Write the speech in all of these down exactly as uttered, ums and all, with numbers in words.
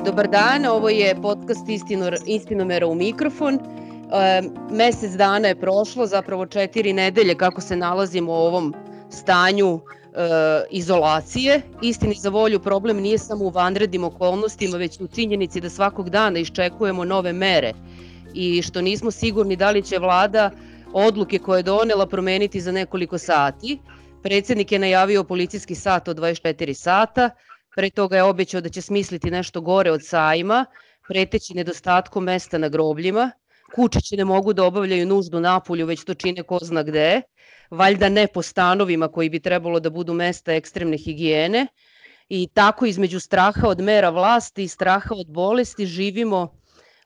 Dobar dan, ovo je podcast Istinor, Istinomera u mikrofon. E, mesec dana je prošlo, zapravo četiri nedelje kako se nalazimo u ovom stanju e, izolacije. Istini za volju, problem nije samo u vanrednim okolnostima, već u činjenici da svakog dana iščekujemo nove mere i što nismo sigurni da li će vlada odluke koje je donela promeniti za nekoliko sati. Predsednik je najavio policijski sat od dvadeset četiri sata, pre toga je obećao da će smisliti nešto gore od sajma, preteći nedostatkom mesta na grobljima. Kučići ne mogu da obavljaju nuždu napolju, već to čine ko zna gde, valjda ne po stanovima koji bi trebalo da budu mesta ekstremne higijene. I tako između straha od mera vlasti i straha od bolesti živimo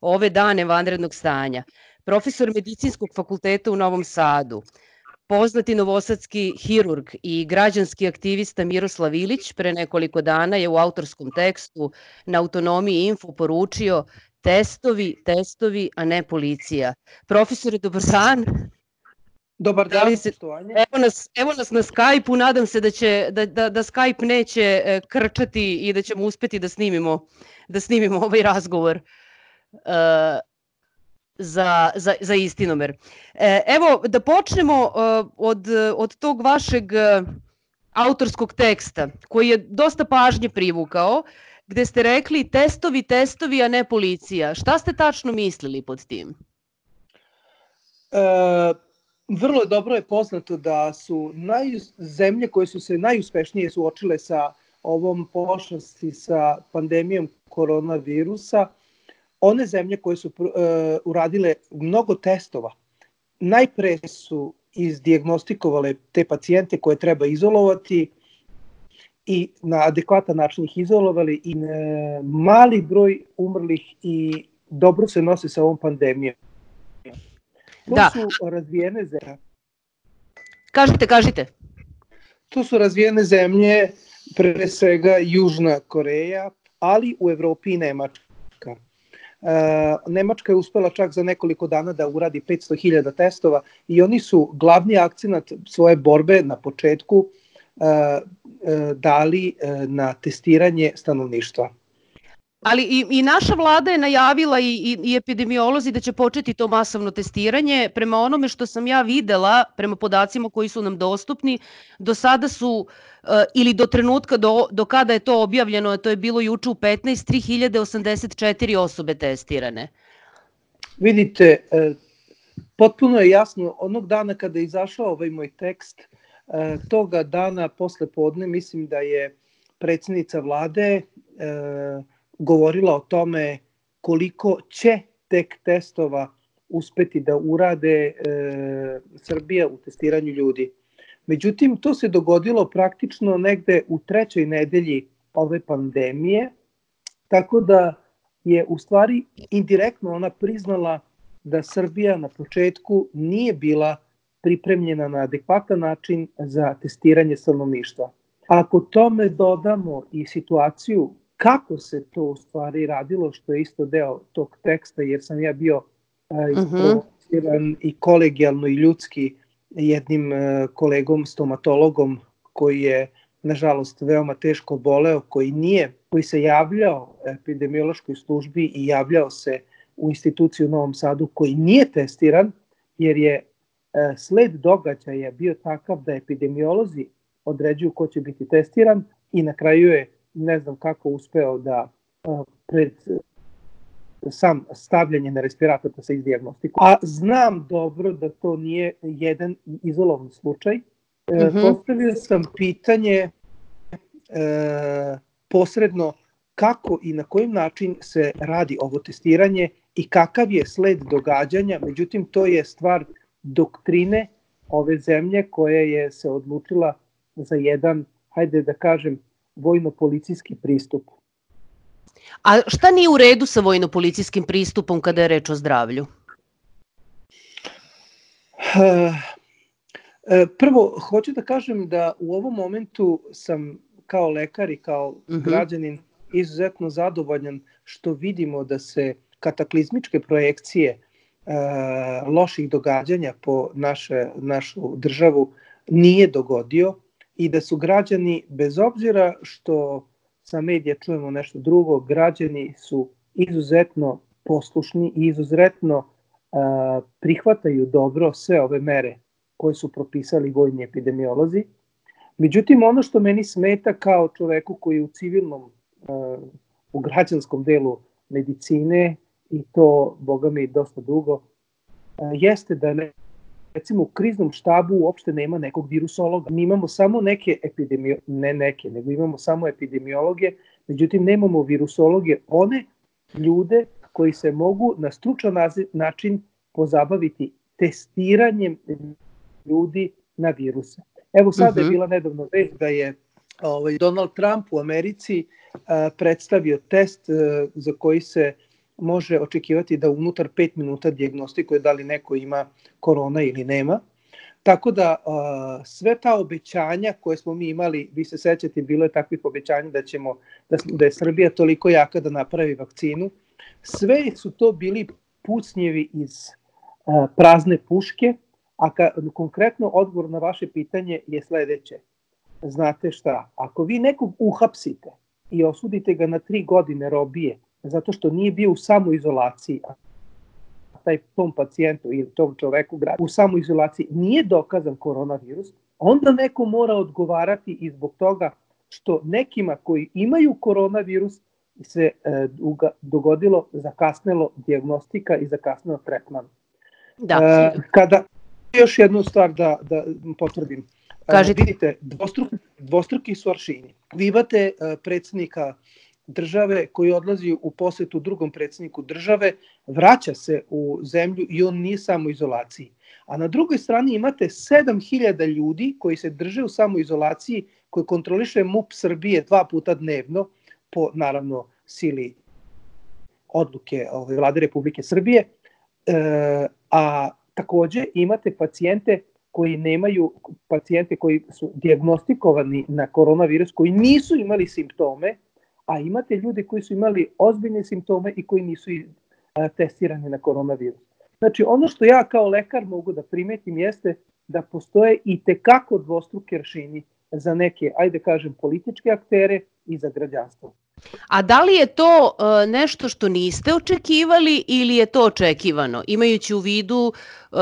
ove dane vanrednog stanja. Profesor Medicinskog fakulteta u Novom Sadu, poznati novosadski hirurg i građanski aktivista Miroslav Ilić pre nekoliko dana je u autorskom tekstu na Autonomiji Info poručio testovi, testovi, a ne policija. Profesore, dobar dan. Dobar dan, se, evo, nas, evo nas na Skype-u, nadam se da, će, da, da, da Skype neće krčati i da ćemo uspeti da snimimo, da snimimo ovaj razgovor. Uh, Za, za, za Istinomer. Evo, da počnemo od, od tog vašeg autorskog teksta, koji je dosta pažnje privukao, gde ste rekli testovi, testovi, a ne policija. Šta ste tačno mislili pod tim? E, vrlo dobro je poznato da su naj, zemlje koje su se najuspešnije suočile sa ovom pošasti, sa pandemijom koronavirusa, one zemlje koje su uh, uradile mnogo testova, najpre su izdijagnostikovale te pacijente koje treba izolovati i na adekvatan način ih izolovali i uh, mali broj umrlih i dobro se nose sa ovom pandemijom. To da. su razvijene zemlje. Kažite, kažite. To su razvijene zemlje, pre svega Južna Koreja, ali u Evropi i Nemačka. Uh, Nemačka je uspela čak za nekoliko dana da uradi petsto hiljada testova i oni su glavni akcenat svoje borbe na početku uh, uh, dali uh, na testiranje stanovništva. Ali i, i naša vlada je najavila i, i, i epidemiolozi da će početi to masovno testiranje. Prema onome što sam ja videla, prema podacima koji su nam dostupni, do sada su, uh, ili do trenutka do, do kada je to objavljeno, a to je bilo juče u petnaest, tri hiljade osamdeset četiri osobe testirane. Vidite, uh, potpuno je jasno, onog dana kada je izašao ovaj moj tekst, uh, toga dana posle podne, mislim da je predsjednica vlade uh, govorila o tome koliko će tek testova uspeti da urade e, Srbija u testiranju ljudi. Međutim, to se dogodilo praktično negde u trećoj nedelji ove pandemije, tako da je u stvari indirektno ona priznala da Srbija na početku nije bila pripremljena na adekvatan način za testiranje stanovništva. Ako tome dodamo i situaciju kako se to u stvari radilo, što je isto deo tog teksta, jer sam ja bio isprovociran uh-huh. i kolegijalno i ljudski jednim uh, kolegom, stomatologom, koji je, nažalost, veoma teško boleo, koji nije, koji se javljao epidemiološkoj službi i javljao se u instituciju u Novom Sadu, koji nije testiran, jer je uh, sled događaja bio takav da epidemiolozi određuju ko će biti testiran i na kraju je ne znam kako uspeo da uh, pred uh, sam stavljanje na respirator da se izdijagnostikuje. A znam dobro da to nije jedan izolovan slučaj. Uh, mm-hmm. Postavio sam pitanje uh, posredno kako i na kojim način se radi ovo testiranje i kakav je sled događanja. Međutim, to je stvar doktrine ove zemlje koja je se odlučila za jedan, hajde da kažem, vojno-policijski pristup. A šta nije u redu sa vojno-policijskim pristupom kada je reč o zdravlju? Prvo, hoću da kažem da u ovom momentu sam kao lekar i kao uh-huh. građanin izuzetno zadovoljan što vidimo da se kataklizmičke projekcije uh, loših događanja po naše, našu državu nije dogodio i da su građani, bez obzira što sa medija čujemo nešto drugo. Građani su izuzetno poslušni i izuzetno uh, prihvataju dobro sve ove mere koje su propisali vojni epidemiolozi. Međutim, ono što meni smeta kao čoveku koji je u civilnom, uh, u građanskom delu medicine, i to, boga mi, dosta dugo, uh, jeste da ne, recimo u kriznom štabu uopšte nema nekog virusologa. Mi imamo samo neke epidemiologe, ne neke, nego imamo samo epidemiologe, međutim nemamo virusologe, one ljude koji se mogu na stručan način pozabaviti testiranjem ljudi na viruse. Evo sada uh-huh. je bila nedavno vest da je ovaj, Donald Trump u Americi uh, predstavio test uh, za koji se može očekivati da unutar pet minuta dijagnostikuje da li neko ima korona ili nema. Tako da uh, sve ta obećanja koje smo mi imali, vi se sećate, bilo je takvih obećanja da ćemo da, da je Srbija toliko jaka da napravi vakcinu. Sve su to bili pucnjevi iz uh, prazne puške, a ka, konkretno odgovor na vaše pitanje je sledeće. Znate šta, ako vi nekog uhapsite i osudite ga na tri godine robije, zato što nije bio u samoizolaciji, a taj tom pacijentu ili tom čoveku u samoizolaciji nije dokazan koronavirus, onda neko mora odgovarati i zbog toga što nekima koji imaju koronavirus se e, uga, dogodilo zakasnelo dijagnostika i zakasnelo tretman. Da. E, kada još jednu stvar da, da potvrdim. Kažite. E, vidite, dvostruki, dvostruki su aršini. Vi imate e, predsjednika države koji odlazi u posetu drugom predsjedniku države, vraća se u zemlju i on nije samoizolaciji. A na drugoj strani imate sedam hiljada ljudi koji se drže u samoizolaciji, koji kontroliše M U P Srbije dva puta dnevno, po naravno sili odluke ove, Vlade Republike Srbije, e, a takođe imate pacijente koji nemaju, pacijente koji su dijagnostikovani na koronavirus, koji nisu imali simptome, a imate ljude koji su imali ozbiljne simptome i koji nisu a, testirani na koronavirus. Znači, ono što ja kao lekar mogu da primetim jeste da postoje i tekako dvostruki aršini za neke, ajde kažem, političke aktere i za građanstvo. A da li je to uh, nešto što niste očekivali ili je to očekivano, imajući u vidu uh,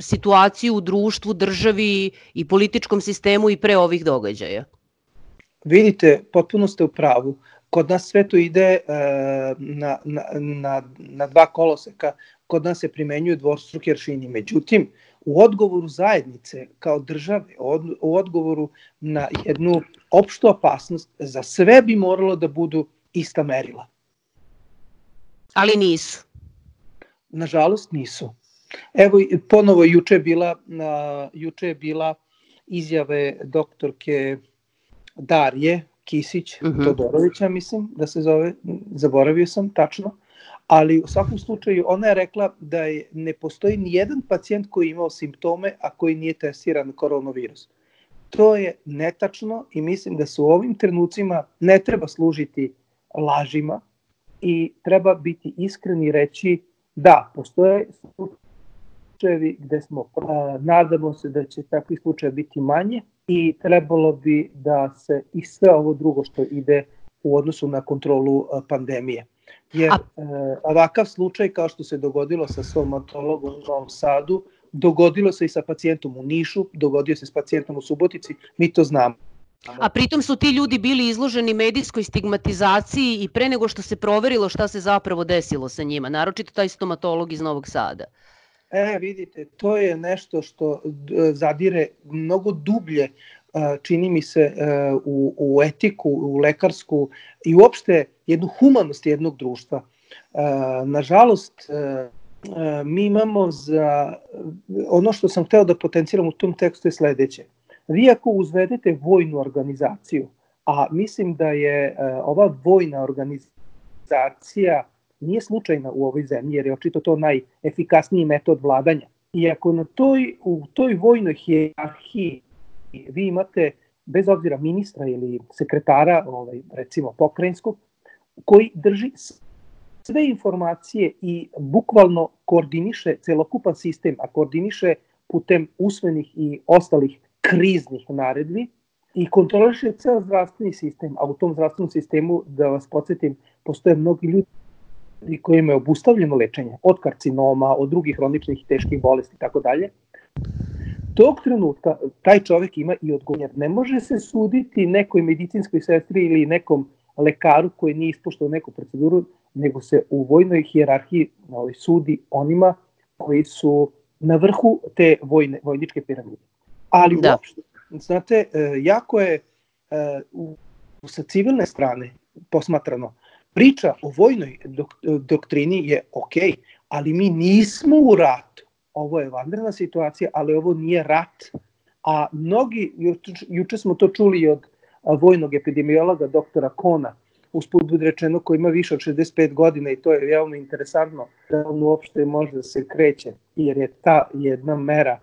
situaciju u društvu, državi i političkom sistemu i pre ovih događaja? Vidite, potpuno ste u pravu. Kod nas sve to ide uh, na, na, na, na dva koloseka. Kod nas se primenjuju dvostruki aršini. Međutim, u odgovoru zajednice kao države, u odgovoru na jednu opštu opasnost, za sve bi moralo da budu ista merila. Ali nisu. Nažalost nisu. Evo, ponovo juče je bila, uh, juče je bila izjave doktorke Darije Kisić uh-huh. Todorovića, mislim da se zove, zaboravio sam tačno, ali u svakom slučaju ona je rekla da je, ne postoji ni jedan pacijent koji je imao simptome, a koji nije testiran na koronavirus. To je netačno i mislim da se u ovim trenucima ne treba služiti lažima i treba biti iskren i reći da, postoje slučajevi gde smo, a, nadamo se da će takvi slučaje biti manje i trebalo bi da se i sve ovo drugo što ide u odnosu na kontrolu a, pandemije. Jer e, ovakav slučaj kao što se dogodilo sa stomatologom u Novom Sadu, dogodilo se i sa pacijentom u Nišu, dogodio se s pacijentom u Subotici, mi to znamo. A pritom su ti ljudi bili izloženi medijskoj stigmatizaciji i pre nego što se proverilo šta se zapravo desilo sa njima, naročito taj stomatolog iz Novog Sada. E, vidite, to je nešto što zadire mnogo dublje, čini mi se, u, u etiku, u lekarsku i uopšte jednu humanost jednog društva. Nažalost, mi imamo za, ono što sam hteo da potenciram u tom tekstu je sledeće. Vi ako uzvedete vojnu organizaciju, a mislim da je ova vojna organizacija nije slučajna u ovoj zemlji, jer je očito to najefikasniji metod vladanja. I ako na toj, u toj vojnoj hijerarhiji vi imate, bez obzira ministra ili sekretara, ovaj, recimo pokrajinskog, koji drži sve informacije i bukvalno koordiniše celokupan sistem, a koordiniše putem usmenih i ostalih kriznih naredbi, i kontroliše ceo zdravstveni sistem, a u tom zdravstvenom sistemu, da vas podsjetim, postoje mnogi ljudi kojima je obustavljeno lečenje, od karcinoma, od drugih hroničnih i teških bolesti i tako dalje. Tog trenutka taj čovek ima i odgovornost. Ne može se suditi nekoj medicinskoj sestri ili nekom lekaru koji nije ispoštovao neku proceduru, nego se u vojnoj hijerarhiji sudi onima koji su na vrhu te vojne, vojničke piramide. Ali da. Uopšte, znate, jako je u, sa civilne strane posmatrano, priča o vojnoj dok, doktrini je ok, ali mi nismo u ratu. Ovo je vanredna situacija, ali ovo nije rat. A mnogi, juče, juče smo to čuli od vojnog epidemiologa doktora Kona, usput budi rečeno, koji ima više od šezdeset pet godina i to je veoma interesantno da on uopšte može da se kreće, jer je ta jedna mera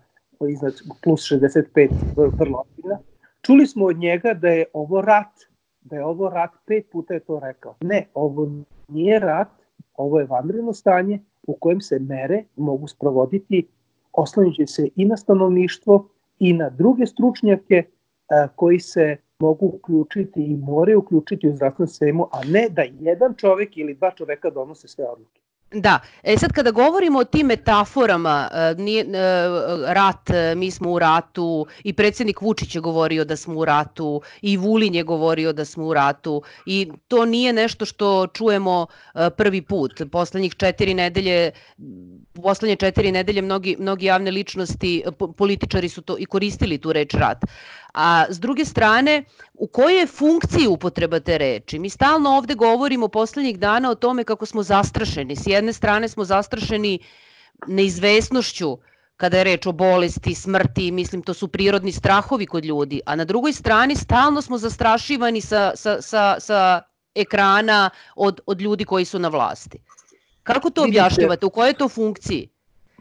iznad plus šezdeset pet vrlo ozbiljna. Čuli smo od njega da je ovo rat, da je ovo rat, pet puta je to rekao. Ne, ovo nije rat, ovo je vanredno stanje u kojem se mere mogu sprovoditi, oslanjajući se i na stanovništvo i na druge stručnjake a, koji se mogu uključiti i moraju uključiti u zdravstvenu sistemu, a ne da jedan čovek ili dva čoveka donose sve odluke. Da, e sad kada govorimo o tim metaforama, nije, rat, mi smo u ratu, i predsjednik Vučić je govorio da smo u ratu, i Vulin je govorio da smo u ratu, i to nije nešto što čujemo prvi put. Poslednjih četiri nedelje, poslednje četiri nedelje mnogi, mnogi javne ličnosti, političari su to i koristili tu reč rat. A s druge strane, u kojoj je funkciji upotreba te reči? Mi stalno ovde govorimo poslednjih dana o tome kako smo zastrašeni. S jedne strane smo zastrašeni neizvesnošću kada je reč o bolesti, smrti, mislim to su prirodni strahovi kod ljudi, a na drugoj strani stalno smo zastrašivani sa, sa, sa, sa ekrana od, od ljudi koji su na vlasti. Kako to objašnjavate? U kojoj je to funkciji?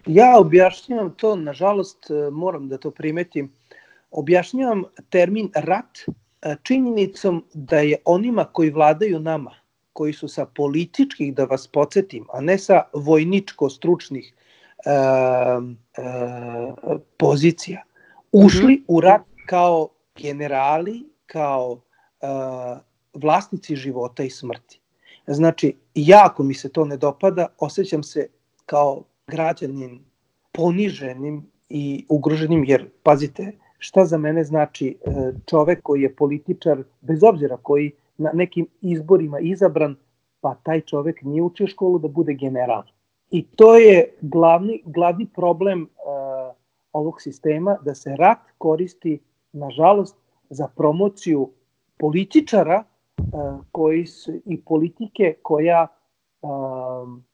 Ja objašnjavam to, nažalost moram da to primetim, objašnjavam termin rat činjenicom da je onima koji vladaju nama, koji su sa političkih, da vas podsjetim, a ne sa vojničko-stručnih e, e, pozicija, ušli u rat kao generali, kao e, vlasnici života i smrti. Znači, jako mi se to ne dopada, osjećam se kao građanin poniženim i ugroženim, jer, pazite, šta za mene znači čovek koji je političar, bez obzira koji na nekim izborima izabran, pa taj čovek nije učio školu da bude general. I to je glavni, glavni problem uh, ovog sistema, da se rat koristi, nažalost, za promociju političara uh, koji su, i politike koja uh,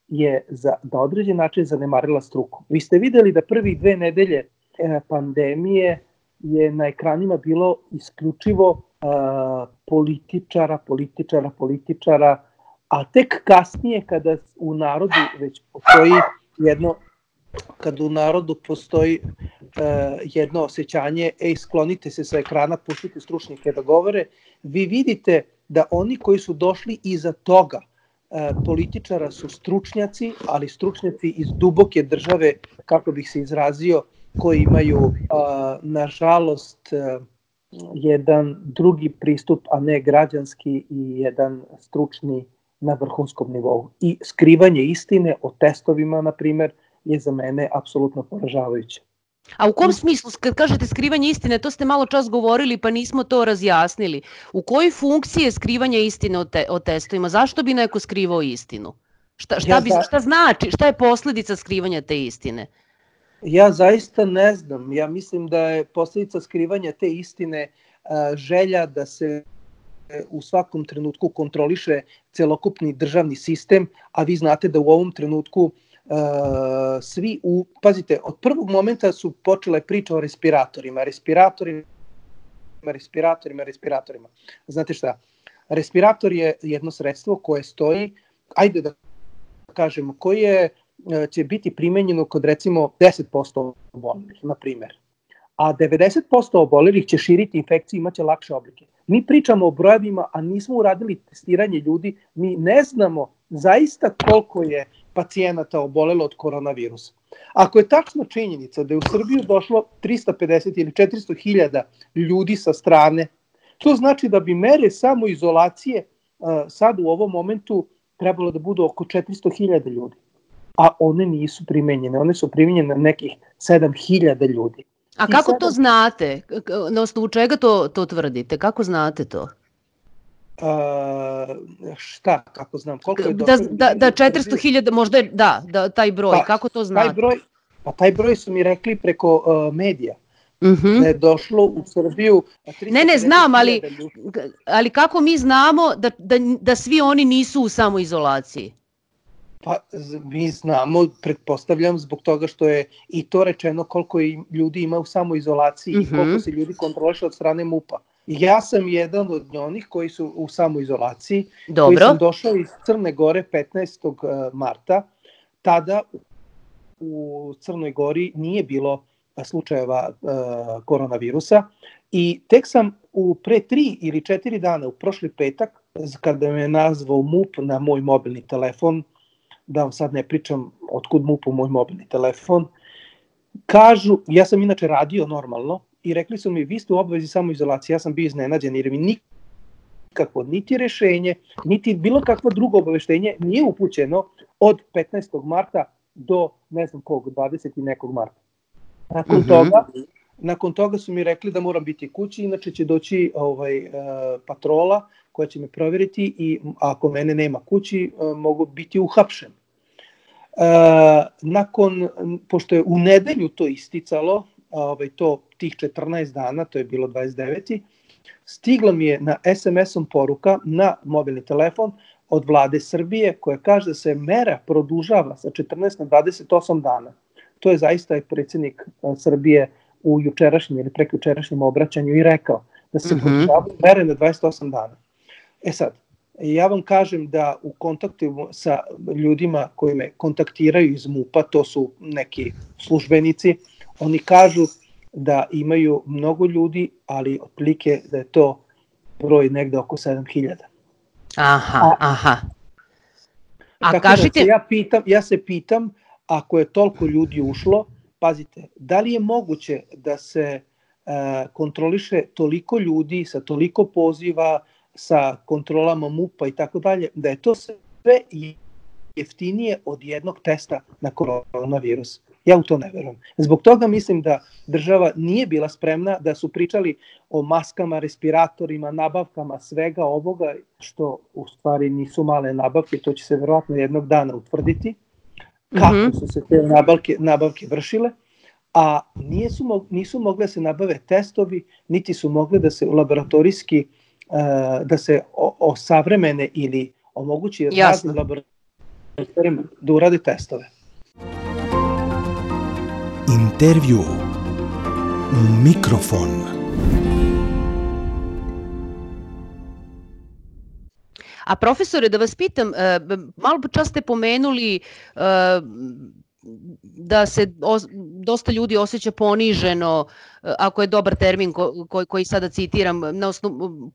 je za, na određen način zanemarila struku. Vi ste videli da prvih dve nedelje uh, pandemije je na ekranima bilo isključivo uh, političara, političara, političara, a tek kasnije kada u narodu već postoji jedno, kada u narodu postoji uh, jedno osjećanje, ej, sklonite se sa ekrana, puštite stručnjake da govore, vi vidite da oni koji su došli iza toga uh, političara su stručnjaci, ali stručnjaci iz duboke države, kako bih se izrazio, koji imaju, a, nažalost, a, jedan drugi pristup, a ne građanski, i jedan stručni na vrhunskom nivou. I skrivanje istine o testovima, na primer, je za mene apsolutno poražavajuće. A u kom smislu, kad kažete skrivanje istine, to ste malo čas govorili pa nismo to razjasnili. U kojoj funkciji je skrivanje istine o, te, o testovima? Zašto bi neko skrivao istinu? Šta, šta, bi, šta znači, šta je posledica skrivanja te istine? Ja zaista ne znam. Ja mislim da je posljedica skrivanja te istine a, želja da se u svakom trenutku kontroliše celokupni državni sistem, a vi znate da u ovom trenutku a, svi, u, pazite, od prvog momenta su počele priče o respiratorima, respiratorima, respiratorima, respiratorima. Znate šta? Respirator je jedno sredstvo koje stoji, ajde da kažemo, koje će biti primenjeno kod recimo deset posto obolelih, na primjer. A devedeset posto obolelih će širiti infekciju i imaće lakše oblike. Mi pričamo o brojevima, a nismo uradili testiranje ljudi, mi ne znamo zaista koliko je pacijenata obolelo od koronavirusa. Ako je tačna činjenica da je u Srbiju došlo trista pedeset ili četiristo hiljada ljudi sa strane, To znači da bi mere samoizolacije sad u ovom momentu trebalo da budu oko četiristo hiljada ljudi, a one nisu primenjene, one su primenjene na nekih sedam hiljada ljudi. A kako to znate? Na osnovu čega to, to tvrdite? Kako znate to? Uh, šta, kako znam? Koliko je da, da, da četiristo hiljada, možda je, da, da, taj broj, pa, kako to znate? Taj broj, pa taj broj su mi rekli preko uh, medija. Uh-huh. Da je došlo u Srbiju Ne, ne, znam, ali, ali kako mi znamo da, da, da svi oni nisu u samoizolaciji? Pa mi znamo, pretpostavljam, zbog toga što je i to rečeno koliko ljudi ima u samoizolaciji uh-huh. i koliko se ljudi kontroliše od strane MUP-a. Ja sam jedan od onih koji su u samoizolaciji, Dobro. koji sam došao iz Crne Gore petnaestog marta. Tada u Crnoj Gori nije bilo slučajeva uh, koronavirusa i tek sam u pre tri ili četiri dana, u prošli petak, kada me nazvao MUP na moj mobilni telefon, da vam sad ne pričam otkud MUP-u moj mobilni telefon, kažu, ja sam inače radio normalno i rekli su mi, vi ste u obavezi samoizolacije, ja sam bio iznenađen jer mi nikako, niti rešenje, niti bilo kakvo drugo obaveštenje nije upućeno od petnaestog marta do ne znam kog, dvadesetog i nekog marta. Nakon, uh-huh. toga, nakon toga su mi rekli da moram biti kući, inače će doći ovaj, uh, patrola koja će me provjeriti i ako mene nema kući, uh, mogu biti uhapšen. Uh, nakon, pošto je u nedelju to isticalo, ovaj, to tih četrnaest dana, to je bilo dvadeset deveti stigla mi je na es em es-om poruka na mobilni telefon od vlade Srbije koja kaže da se mera produžava sa četrnaest na dvadeset osam dana. To je zaista i predsjednik Srbije u jučerašnjem ili prekjučerašnjem obraćanju i rekao da se uh-huh. produžavaju mere na dvadeset osam dana. E sad, ja vam kažem da u kontaktu sa ljudima koji me kontaktiraju iz MUP-a, to su neki službenici, oni kažu da imaju mnogo ljudi, ali otprilike da je to broj negde oko sedam hiljada. Aha, aha. A tako kažite... da se ja, pitam, ja se pitam, ako je toliko ljudi ušlo, pazite, da li je moguće da se uh, kontroliše toliko ljudi sa toliko poziva, sa kontrolama MUP-a i tako dalje, da je to sve jeftinije od jednog testa na koronavirus. Ja u to ne verujem. Zbog toga mislim da država nije bila spremna, da su pričali o maskama, respiratorima, nabavkama, svega ovoga, što u stvari nisu male nabavke, to će se verovatno jednog dana utvrditi, kako mm-hmm. su se te nabavke, nabavke vršile, a nisu, nisu mogle se nabave testovi, niti su mogle da se laboratorijski, uh, da se osavremene ili omogući raznim laboratorijama da urade testove. Intervju u mikrofon. A profesore, da vas pitam, malo čas ste pomenuli da se dosta ljudi osjeća poniženo, ako je dobar termin koji, koji sada citiram, na osnovu,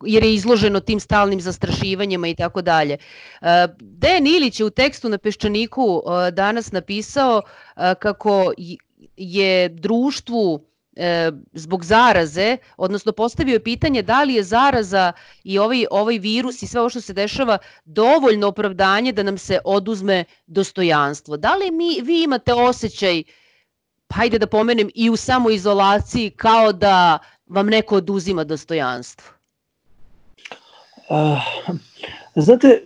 jer je izloženo tim stalnim zastrašivanjima i tako dalje. Dejan Ilić je u tekstu na Peščaniku danas napisao kako je društvu zbog zaraze, odnosno postavio je pitanje da li je zaraza i ovaj, ovaj virus i sve ovo što se dešava dovoljno opravdanje da nam se oduzme dostojanstvo. Da li mi, vi imate osjećaj, hajde da pomenem, i u samoizolaciji kao da vam neko oduzima dostojanstvo? Uh, znate,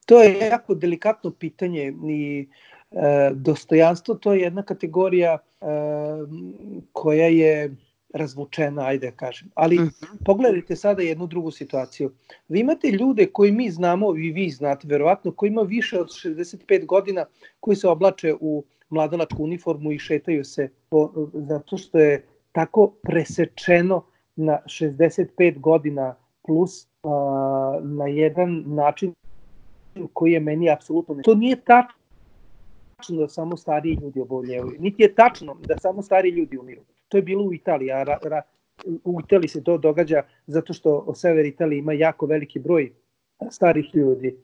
to je jako delikatno pitanje i E, dostojanstvo to je jedna kategorija e, koja je razvučena, ajde da kažem. Ali uh-huh. pogledajte sada jednu drugu situaciju. Vi imate ljude koji mi znamo, i vi znate verovatno, koji ima više od šezdeset pet godina, koji se oblače u mladalačku uniformu i šetaju se po, zato što je tako presečeno na šezdeset pet godina plus a, na jedan način koji je meni apsolutno ne. To nije tačno da samo stariji ljudi oboljevaju. Niti je tačno da samo stariji ljudi umiru. To je bilo u Italiji, a ra, ra, u Italiji se to događa zato što o sever Italije ima jako veliki broj starih ljudi.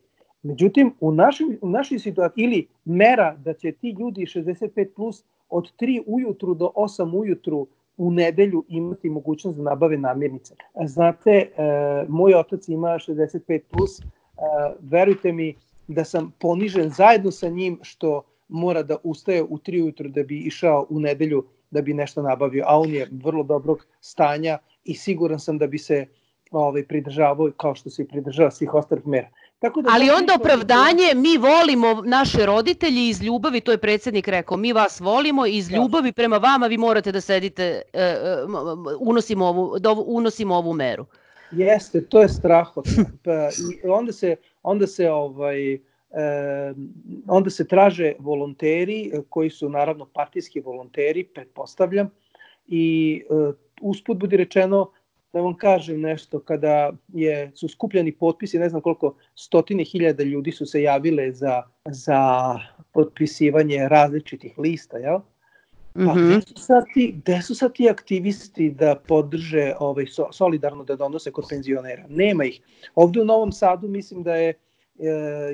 Međutim, u, našim, u našoj situaciji, ili mera da će ti ljudi šezdeset pet plus od tri ujutru do osam ujutru u nedelju imati mogućnost da nabave namirnice. Znate, e, moj otac ima šezdeset pet plus, e, verujte mi da sam ponižen zajedno sa njim što mora da ustaje u tri ujutru da bi išao u nedelju da bi nešto nabavio, a on je vrlo dobrog stanja i siguran sam da bi se ovaj, pridržavao kao što se i pridržava svih ostalih mera. Tako da ali onda opravdanje, mi volimo naše roditelji iz ljubavi, to je predsjednik rekao, mi vas volimo iz ljubavi prema vama, vi morate da sedite, unosimo ovu, unosimo ovu meru. Jeste, to je strahotno. I onda se, onda se ovaj, onda se traže volonteri koji su naravno partijski volonteri, pretpostavljam, i usput budi rečeno, da vam kažem nešto, kada je, su skupljani potpisi, ne znam koliko stotine hiljada ljudi su se javile za, za potpisivanje različitih lista, jel? Pa mm-hmm. gde, su sad ti, gde su sad ti aktivisti da podrže ovaj, so, solidarno da donose kod penzionera? Nema ih. Ovde u Novom Sadu mislim da je e,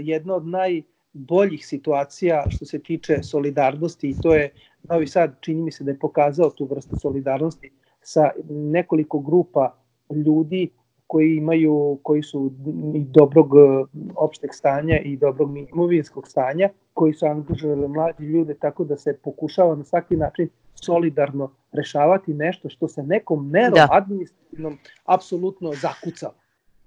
jedna od najboljih situacija što se tiče solidarnosti i to je Novi Sad, čini mi se da je pokazao tu vrstu solidarnosti sa nekoliko grupa ljudi koji imaju, koji su i dobrog opšteg stanja i dobrog imovinskog stanja, koji su angažovali mlađi ljude, tako da se pokušava na svaki način solidarno rešavati nešto što se nekom merom da. administrativnom apsolutno zakucava.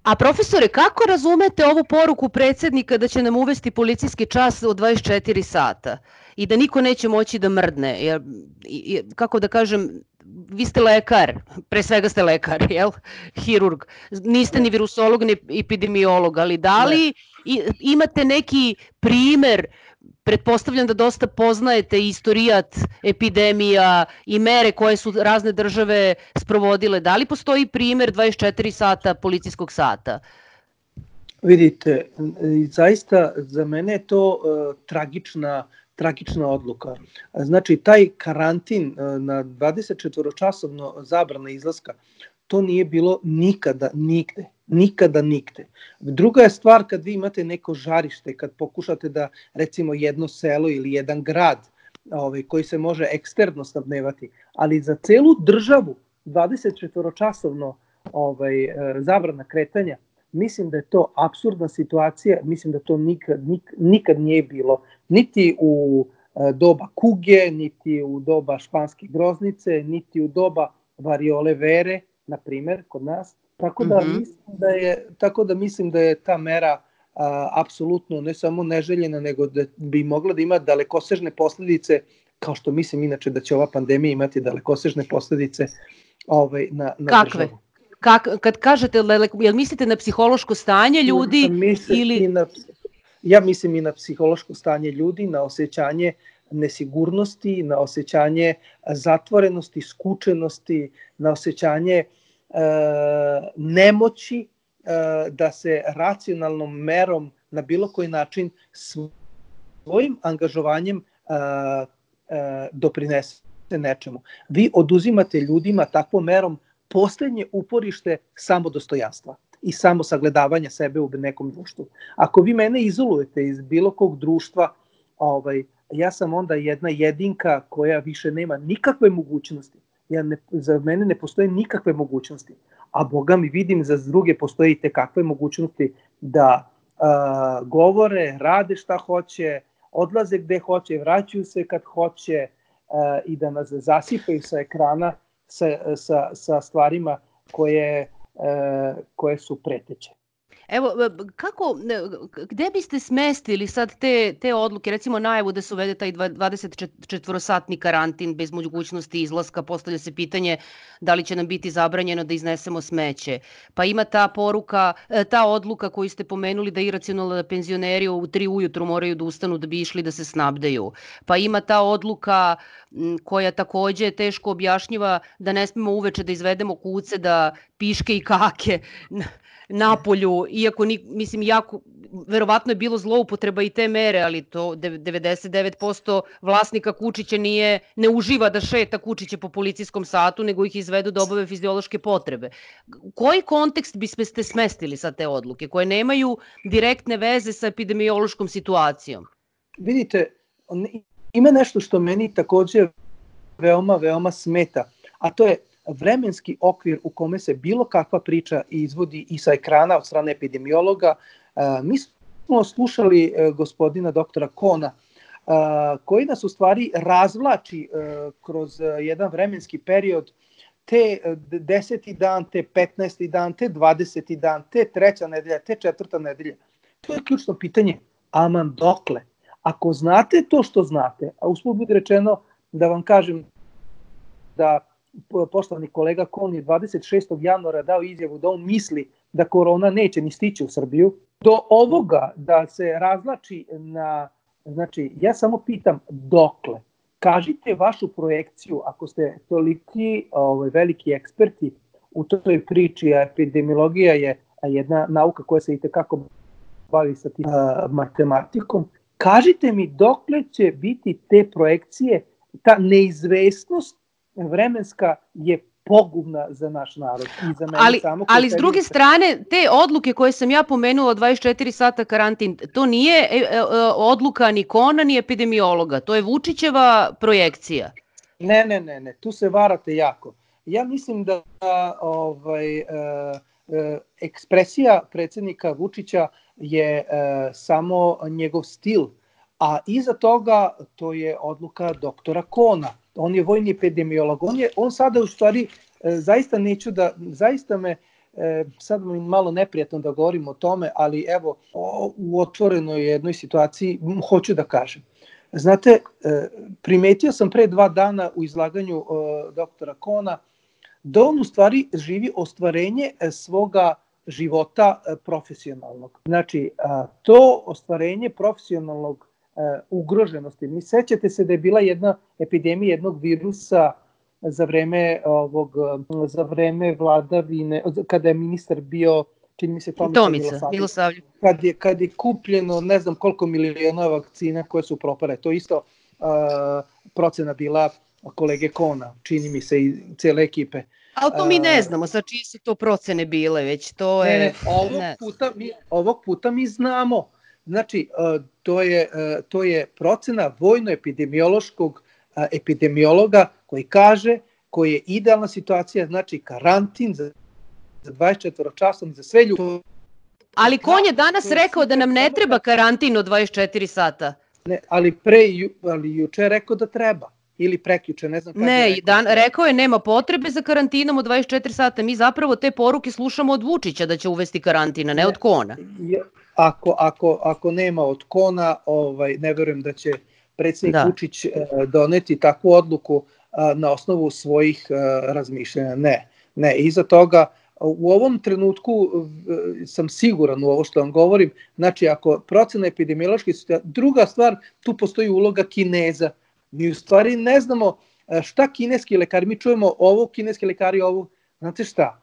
A profesore, kako razumete ovu poruku predsjednika da će nam uvesti policijski čas od dvadeset četiri sata i da niko neće moći da mrdne? Jer, kako da kažem, vi ste lekar, pre svega ste lekar, jel? Hirurg. Niste ni virusolog, ni epidemiolog, ali da li imate neki primer, pretpostavljam da dosta poznajete istorijat epidemija i mere koje su razne države sprovodile, da li postoji primer dvadeset četiri sata policijskog sata? Vidite, zaista za mene je to uh, tragična tragična odluka. Znači, taj karantin na dvadesetčetvoročasovno zabrana izlaska, to nije bilo nikada, nigde. Nikada, nigde. Druga je stvar kad vi imate neko žarište, kad pokušate da, recimo, jedno selo ili jedan grad ovaj, koji se može eksterno snabdevati, ali za celu državu dvadesetčetvoročasovno ovaj, zabrana kretanja, mislim da je to apsurdna situacija, mislim da to nikad, nik, nikad nije bilo, niti u e, doba kuge, niti u doba španske groznice, niti u doba variole vere, na primer, kod nas. Tako da, mm-hmm. mislim, da je, tako da mislim da je ta mera a, apsolutno ne samo neželjena, nego da bi mogla da ima dalekosežne posledice, kao što mislim inače da će ova pandemija imati dalekosežne posledice ovaj, na, na Kakve? državu. Kak, kad kažete, jel mislite na psihološko stanje ljudi? Ili... Na, ja mislim i na psihološko stanje ljudi, na osjećanje nesigurnosti, na osjećanje zatvorenosti, skučenosti, na osjećanje e, nemoći e, da se racionalnom merom na bilo koji način svojim angažovanjem e, e, doprinese nečemu. Vi oduzimate ljudima takvom merom poslednje uporište samodostojanstva i samo sagledavanja sebe u nekom društvu. Ako vi mene izolujete iz bilo kog društva, ovaj, ja sam onda jedna jedinka koja više nema nikakve mogućnosti. Ja ne, za mene ne postoje nikakve mogućnosti, a Boga mi vidim za druge postoje i tekakve mogućnosti da uh, govore, rade šta hoće, odlaze gde hoće, vraćaju se kad hoće uh, i da nas zasipaju sa ekrana Sa, sa, sa stvarima koje, e, koje su preteće. Evo, kako, gde biste smestili sad te, te odluke, recimo najavu da se uvede taj dvadesetčetvorosatni karantin bez mogućnosti izlaska, postavlja se pitanje da li će nam biti zabranjeno da iznesemo smeće. Pa ima ta poruka, ta odluka koju ste pomenuli da je iracionalno da penzioneri u tri ujutru moraju da ustanu da bi išli da se snabdeju. Pa ima ta odluka koja takođe je teško objašnjiva da ne smemo uveče da izvedemo kuce, da piške i kake napolju, iako mislim jako verovatno je bilo zloupotreba i te mere, ali to devedeset devet posto vlasnika kučića nije ne uživa da šeta kučiće po policijskom satu, nego ih izvedu da obave fiziološke potrebe. U koji kontekst biste smestili sa te odluke koje nemaju direktne veze sa epidemiološkom situacijom? Vidite, ima nešto što meni takođe veoma, veoma smeta, a to je vremenski okvir u kome se bilo kakva priča izvodi i sa ekrana od strane epidemiologa. Mi smo slušali gospodina doktora Kona, koji nas u stvari razvlači kroz jedan vremenski period, te deseti dan, te petnaesti dan, te dvadeseti dan, te treća nedelja, te četvrta nedelja. To je ključno pitanje, aman dokle? Ako znate to što znate, a usput bude rečeno da vam kažem da poštovani kolega Kon je dvadeset šestog januara dao izjavu da on misli da korona neće ni stići u Srbiju, do ovoga da se razlači na, znači ja samo pitam dokle? Kažite vašu projekciju, ako ste toliki ovaj, veliki eksperti u toj priči, a epidemiologija je jedna nauka koja se itekako bavi sa tim uh, matematikom, kažite mi dokle će biti te projekcije, ta neizvesnost vremenska je pogubna za naš narod i za mene ali, samo. Ali s druge strane, te odluke koje sam ja pomenula, dvadeset četiri sata karantin, to nije e, e, odluka ni Kona ni epidemiologa, to je Vučićeva projekcija. Ne, ne, ne, ne, tu se varate jako. Ja mislim da ovaj, e, e, ekspresija predsjednika Vučića je e, samo njegov stil, a iza toga to je odluka doktora Kona. On je vojni epidemiolog, on je, on sada u stvari, e, zaista neću da, zaista me, e, sad mi malo neprijatno da govorim o tome, ali evo, o, u otvorenoj jednoj situaciji m, hoću da kažem. Znate, e, primetio sam pre dva dana u izlaganju e, doktora Kona da on u stvari živi ostvarenje e, svoga života e, profesionalnog. Znači, a, to ostvarenje profesionalnog ugroženosti. Mi sećate se da je bila jedna epidemija jednog virusa za vreme ovog za vreme vladavine, kada je ministar bio, čini mi se Tomica, Tomica Milosavljević. Kad je kad je kupljeno ne znam koliko miliona vakcina koje su propale. To isto uh, procena bila kolege Kona, čini mi se, i cele ekipe. Ali to mi ne znamo, sa čije su to procene bile, već to je... Ne, ne, ovog, ne. Puta mi, ovog puta mi znamo. Znači, to je, to je procena vojno-epidemiološkog epidemiologa koji kaže koji je idealna situacija, znači karantin za dvadeset četiri časovni za sve ljude. Ali Kon je danas rekao da nam ne treba karantin od dvadeset četiri sata. Ne, ali pre ali juče je rekao da treba. Ili prekjuče, ne znam kada ne, je rekao. Dan, rekao je nema potrebe za karantinom od dvadeset četiri sata. Mi zapravo te poruke slušamo od Vučića da će uvesti karantina, ne, ne od Kona. Ako, ako, ako nema od Kona, ovaj, ne verujem da će predsjednik da. Vučić doneti takvu odluku na osnovu svojih razmišljanja. Ne, ne. Iza toga, u ovom trenutku sam siguran u ovo što vam govorim, znači ako procena epidemiološke situacije, druga stvar, tu postoji uloga Kineza. Mi u stvari ne znamo šta kineski lekari, mi čujemo ovo, kineski lekari ovo, znate šta,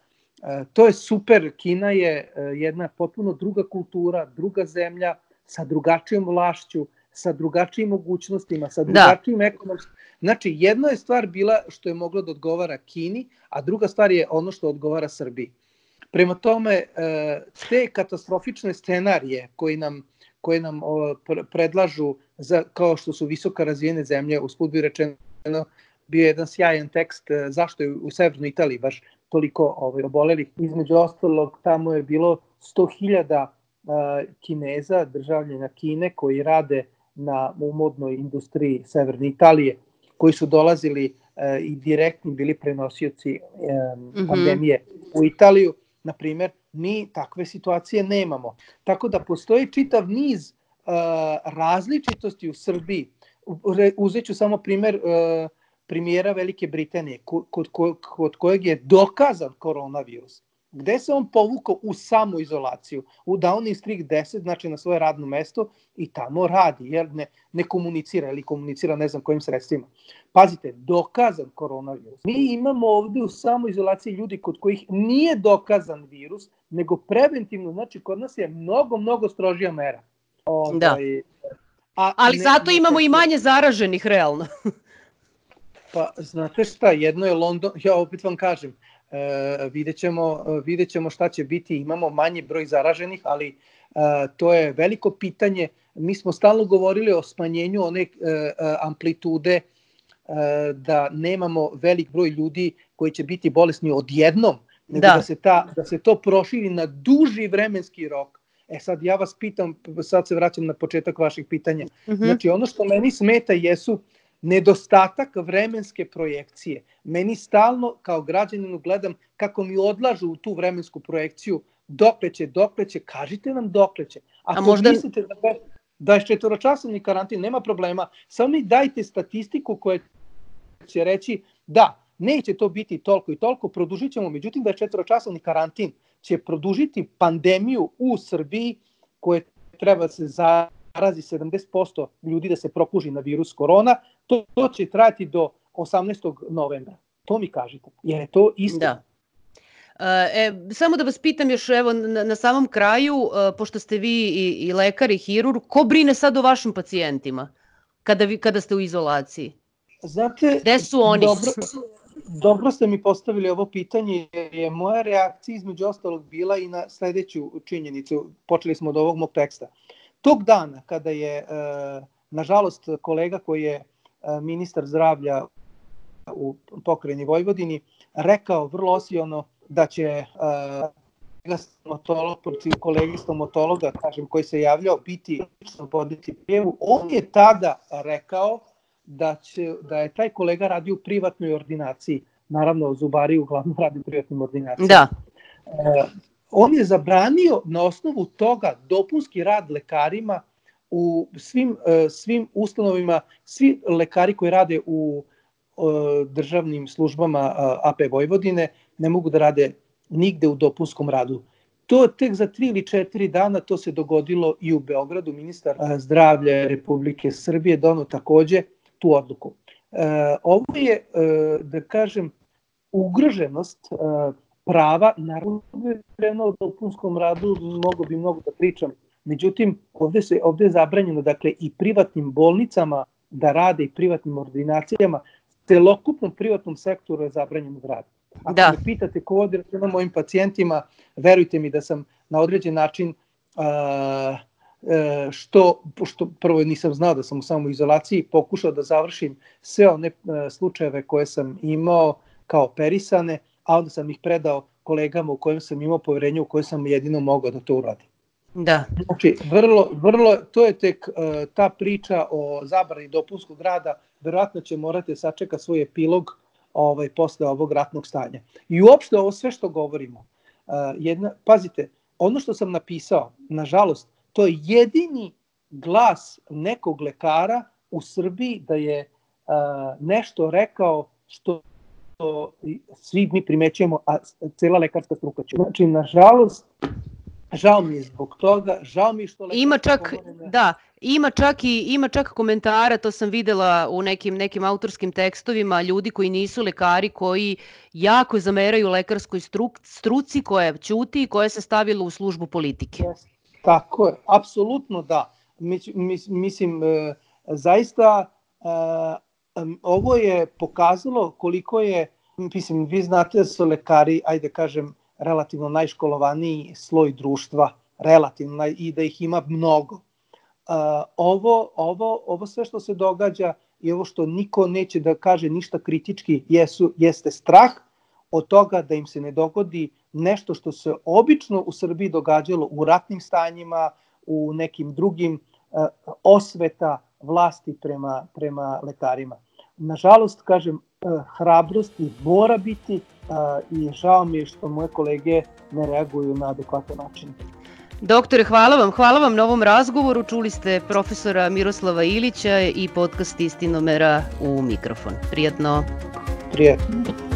to je super, Kina je jedna potpuno druga kultura, druga zemlja, sa drugačijom vlašću, sa drugačijim mogućnostima, sa drugačijim ekonomskim. Znači, jedna je stvar bila što je moglo da odgovara Kini, a druga stvar je ono što odgovara Srbiji. Prema tome, te katastrofične scenarije koji nam koje nam o, predlažu, za, kao što su visoko razvijene zemlje, usput bi rečeno, bio jedan sjajan tekst zašto je u severnoj Italiji baš toliko ovaj, obolelih. Između ostalog, tamo je bilo sto hiljada Kineza, državljana Kine, koji rade na modnoj industriji severne Italije, koji su dolazili a, i direktni bili prenosioci a, mm-hmm. pandemije u Italiju, na primjer. Mi takve situacije nemamo. Tako da postoji čitav niz uh, različitosti u Srbiji. Uzet ću samo primjer uh, premijera Velike Britanije, kod, kod, kod kojeg je dokazan koronavirus. Gde se on povukao u samoizolaciju, u Downing Street deset, znači na svoje radno mesto, i tamo radi, jer ne, ne komunicira ili komunicira ne znam kojim sredstvima. Pazite, dokazan koronavirus. Mi imamo ovde u samoizolaciji ljudi kod kojih nije dokazan virus, nego preventivno, znači kod nas je mnogo, mnogo strožija mera. Ovaj, da. A, Ali ne, zato ne, imamo ne, i manje zaraženih, realno. Pa, znate šta, jedno je London, ja opet vam kažem, Uh, vidjet ćemo, uh, vidjet ćemo šta će biti, imamo manji broj zaraženih, ali uh, to je veliko pitanje. Mi smo stalno govorili o smanjenju one uh, amplitude da nemamo velik broj ljudi koji će biti bolesni odjednom, nego Da. da se, ta, da se to proširi na duži vremenski rok. E sad ja vas pitam, sad se vraćam na početak vaših pitanja. Mhm. Znači ono što meni smeta jesu nedostatak vremenske projekcije. Meni stalno kao građaninu gledam kako mi odlažu u tu vremensku projekciju dokle će, dokle će, kažite nam dokle će. Ako A možda- mislite da dvadesetčetvoročasovni karantin nema problema, samo mi dajte statistiku koja će reći da, neće to biti toliko i toliko, produžit ćemo, međutim dvadesetčetvoročasovni karantin će produžiti pandemiju u Srbiji koje treba da se zarazi sedamdeset posto ljudi da se prokuži na virus korona, to, to će trajati do osamnaestog novembra. To mi kažete, jer je to isto. Da. E, samo da vas pitam još evo na, na samom kraju, e, pošto ste vi i, i lekar i hirurg, ko brine sad o vašim pacijentima kada, vi, kada ste u izolaciji? Znate, Gde su oni? Dobro, dobro ste mi postavili ovo pitanje, jer je moja reakcija između ostalog bila i na sledeću činjenicu. Počeli smo od ovog mog teksta. Tog dana kada je, e, nažalost, kolega koji je e, ministar zdravlja u pokrajini Vojvodini rekao vrlo osilno da će uh, stomatolog, kolegi stomatologa, kažem, koji se javljao, biti voditi prijavu. On je tada rekao da, će, da je taj kolega radio u privatnoj ordinaciji. Naravno, zubari uglavnom radi u privatnim ordinacijama. Da. Uh, on je zabranio na osnovu toga dopunski rad lekarima u svim, uh, svim ustanovima, svi lekari koji rade u državnim službama A P Vojvodine ne mogu da rade nigde u dopunskom radu. To tek za tri ili četiri dana to se dogodilo i u Beogradu. Ministar zdravlja Republike Srbije doneo takođe tu odluku. Ovo je, da kažem, ugroženost prava, naravno u dopunskom radu mogo bi mnogo da pričam. Međutim, ovde, se, ovde je zabranjeno, dakle, i privatnim bolnicama da rade i privatnim ordinacijama, celokupnom privatnom sektoru je zabranjeno da radi. Ako Da. me pitate ko vodi računa o mojim pacijentima, verujte mi da sam na određen način, a, a, što, što prvo nisam znao da sam u samoizolaciji, pokušao da završim sve one a, slučajeve koje sam imao kao operisane, a onda sam ih predao kolegama u kojem sam imao poverenje, u kojem sam jedino mogao da to uradim. Da. Znači, vrlo, vrlo, to je tek uh, ta priča o zabrani dopunskog rada, verovatno će morati sačekati svoj epilog ovaj, posle ovog ratnog stanja. I uopšte ovo sve što govorimo, uh, jedna, pazite, ono što sam napisao, nažalost, to je jedini glas nekog lekara u Srbiji da je uh, nešto rekao što svi mi primećujemo, a cela lekarska struka će. Znači, nažalost, žao mi je zbog toga, žao mi je što... Ima čak, da, ima čak i ima čak komentara, to sam videla u nekim nekim autorskim tekstovima, ljudi koji nisu lekari, koji jako zameraju lekarskoj struk, struci koja ćuti i koja se stavila u službu politike. Yes. Tako je, apsolutno da. Mis, mis, mislim, e, zaista e, ovo je pokazalo koliko je, mislim, vi znate da su lekari, ajde kažem, relativno najškolovaniji sloj društva, relativno, i da ih ima mnogo. Uh, ovo, ovo, ovo sve što se događa i ovo što niko neće da kaže ništa kritički jesu, jeste strah od toga da im se ne dogodi nešto što se obično u Srbiji događalo u ratnim stanjima, u nekim drugim uh, osveta vlasti prema, prema lekarima. Nažalost, kažem, uh, hrabrosti mora biti, Uh, i žao mi je što moje kolege ne reaguju na adekvatan način. Doktore, hvala vam. Hvala vam na ovom razgovoru. Čuli ste profesora Miroslava Ilića i podcast Istinomera u mikrofon. Prijatno. Prijatno.